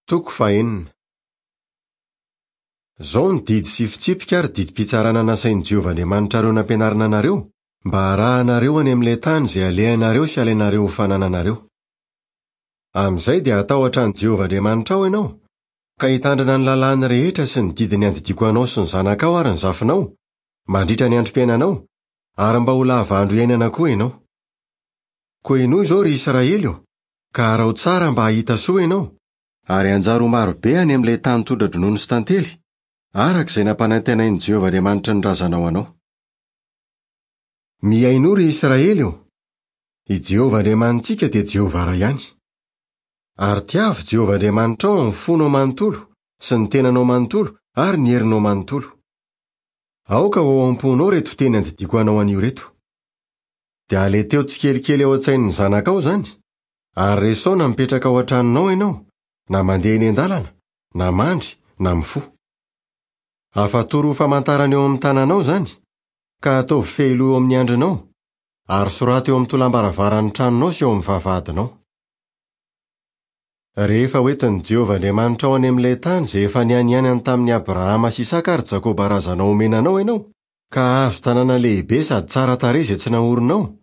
Toko fahenina. Izao ny didy sy fitsipika ary didim-pitsarana nasain'i Jehovah Andriamanitrareo nampianarina anareo, mba harahanareo any amin'ilay tany izay alehanareo sy alainareo ho fanananareo. Amin'izay dia hatahotra an'i Jehovah Andriamanitrao ianao, ka hitandrina ny lalàny rehetra sy ny didiny andidiako anao sy ny zanakao ary ny zafinao, mandritra ny androm-piainanao, ary mba ho lava andro iainana koa ianao. Koa henoy izao, ry Israely ô, ka araho tsara mba hahita soa ianao, ary hanjary ho maro be any amin'ilay tany tondra-dronono sy tantely, araka izay nampanantenain'i Jehovah Andriamanitry ny razanao anao. Mihainoa, ry Israely ô! I Jehovah Andriamanitsika dia Jehovah iray ihany. Ary tiavo Jehovah Andriamanitrao amin'ny fonao manontolo sy ny tenanao manontolo ary ny herinao manontolo. Aoka ho ao am-ponao ireto teny andidiako anao anio ireto. Dia aleteo tsikelikely ao an-tsain'ny zanakao izany, ary resao na mipetraka ao an-tranonao ianao, na mandeha eny an-dalana, na mandry, na mifoha. Afatoro ho famantarana eo amin'ny tananao izany, ka ataovy fehiloha eo amin'ny handrinao, ary soraty eo amin'ny tolam-baravaran'ny tranonao sy eo amin'ny vavahadinao. Rehefa hoentin'i Jehovah Andriamanitrao any amin'ilay tany izay efa nianianany tamin'i Abrahama sy Isaka ary Jakoba razanao homena anao ianao, ka hahazo tanàna lehibe sady tsara tarehy izay tsy naorinao,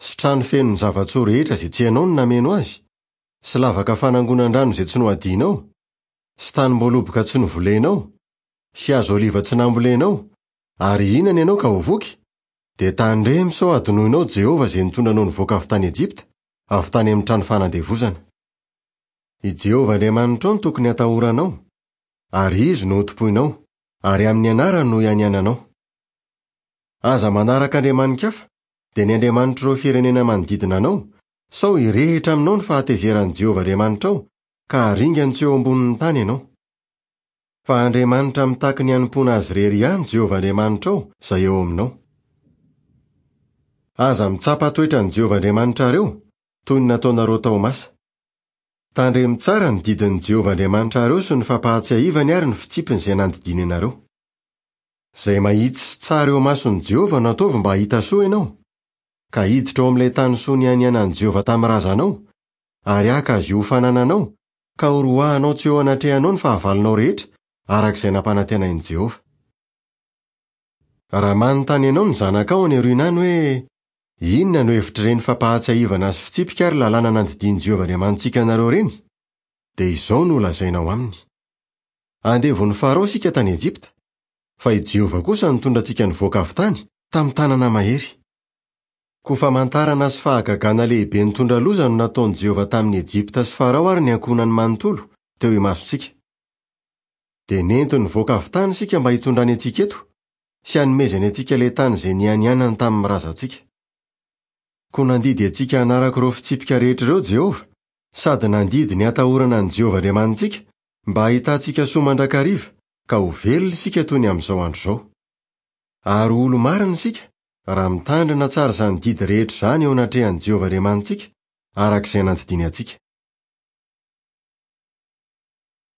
sy trano feno ny zava-tsoa rehetra izay tsy ianao no nameno azy, sy lavaka fanangonan-drano izay tsy nohadianao, sy tanim-boaloboka tsy novolenao, sy hazo oliva tsy nambolenao, ary hihinana ianao ka ho voky, dia tandremo sao hadinoinao Jehovah izay nitondra anao nivoaka avy tany Egypta, avy tany amin'ny trano fanandevozana. I Jehovah Andriamanitrao no tokony hatahoranao, ary Izy no hotompoinao. Ary amin'ny anarany no ianiananao. Aza manaraka andriamani-kafa, dia ny andriamanitr'ireo firenena manodidina anao, sao hirehitra aminao ny fahatezeran'i Jehovah Andriamanitrao, ka haringany tsy eo ambonin'ny tany ianao. Fa Andriamanitra mitaky ny hanompoana azy irery ihany Jehovah Andriamanitrao, izay eo aminao. Aza mitsapa toetra an'i Jehovah Andriamanitrareo, toy ny nataonareo tao Masa. Tandremo tsara ny didin'i Jehovah Andriamanitrareo sy ny fampahatsiahivany ary ny fitsipiny izay nandidiany anareo. Izay mahitsy sy tsara eo imason'i Jehovah no ataovy mba hahita soa ianao, ka hiditra ao amin'ilay tany soa nianianan'i Jehovah tamin'ny razanao, ary haka azy io ho fanananao, ka horoahanao tsy eo anatrehanao ny fahavalonao rehetra, araka izay nampanantenain'i Jehovah. Raha manontany anao ny zanakao any aoriana any hoe, Inona no hevitr'ireny fampahatsiahivana sy fitsipika ary lalàna nandidian'i Jehovah Andriamanitsika anareo ireny? Dia izao no holazainao aminy, Andevon'i Farao isika tany Ejipta, fa i Jehovah kosa nitondra antsika nivoaka avy tany, tamin'ny tanana mahery. Koa famantarana sy fahagagana lehibe nitondra loza no nataon'i Jehovah tamin'i Ejipta sy Farao ary ny ankohonany manontolo, teo imasontsika. Dia nentiny nivoaka avy tany isika mba hitondrany antsika eto, sy hanomezany antsika ilay tany izay nianianany tamin'ny razantsika. Koa nandidy antsika hanaraka ireo fitsipika rehetra ireo Jehovah, sady nandidy ny hatahorana an'i Jehovah Andriamanitsika, mba hahitantsika soa mandrakariva, ka ho velona isika toy ny amin'izao andro izao. Ary ho olo-marina isika, raha mitandrina tsara izany didy rehetra izany eo anatrehan'i Jehovah Andriamanitsika, araka izay nandidiany antsika.